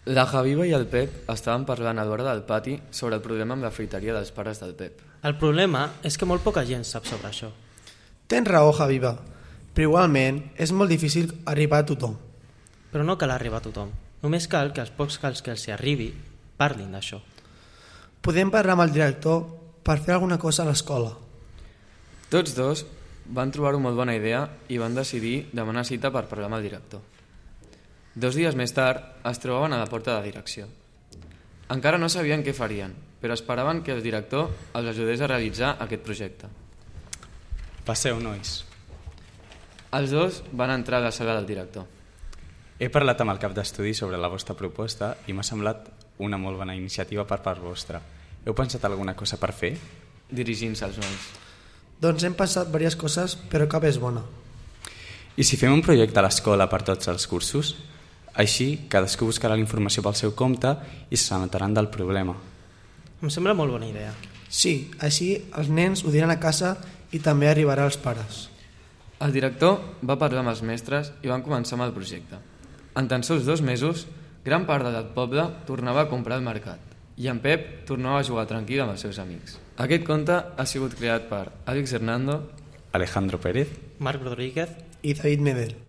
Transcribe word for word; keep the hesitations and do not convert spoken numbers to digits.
La Javiva i el Pep estaven parlant a l'hora del pati sobre el problema amb la fruiteria dels pares del Pep. El problema és que molt poca gent sap sobre això. Tens raó, Javiva, però igualment és molt difícil arribar a tothom. Però no cal arribar a tothom. Només cal que els pocs cals que els hi arribi parlin d'això. Podem parlar amb el director per fer alguna cosa a l'escola. Tots dos van trobar-ho molt bona idea i van decidir demanar cita per parlar amb el director. Dos dies més tard es trobaven a la porta de direcció. Encara no sabien què farien, però esperaven que el director els ajudés a realitzar aquest projecte. Passeu, nois. Els dos van entrar a la sala del director. He parlat amb el cap d'estudi sobre la vostra proposta i m'ha semblat una molt bona iniciativa per part vostra. Heu pensat alguna cosa per fer? Dirigint-se als nois. Doncs hem passat diverses coses, però cap és bona. I si fem un projecte a l'escola per tots els cursos? Així, cadascú buscarà la informació pel seu compte i s'assabentaran del problema. Em sembla molt bona idea. Sí, així els nens ho diran a casa i també arribarà als pares. El director va parlar amb els mestres i van començar amb el projecte. En tan sols dos mesos, gran part del poble tornava a comprar al mercat i en Pep tornava a jugar tranquil amb els seus amics. Aquest conte ha sigut creat per Àlex Hernando, Alejandro Pérez Marc Rodríguez I David Medel.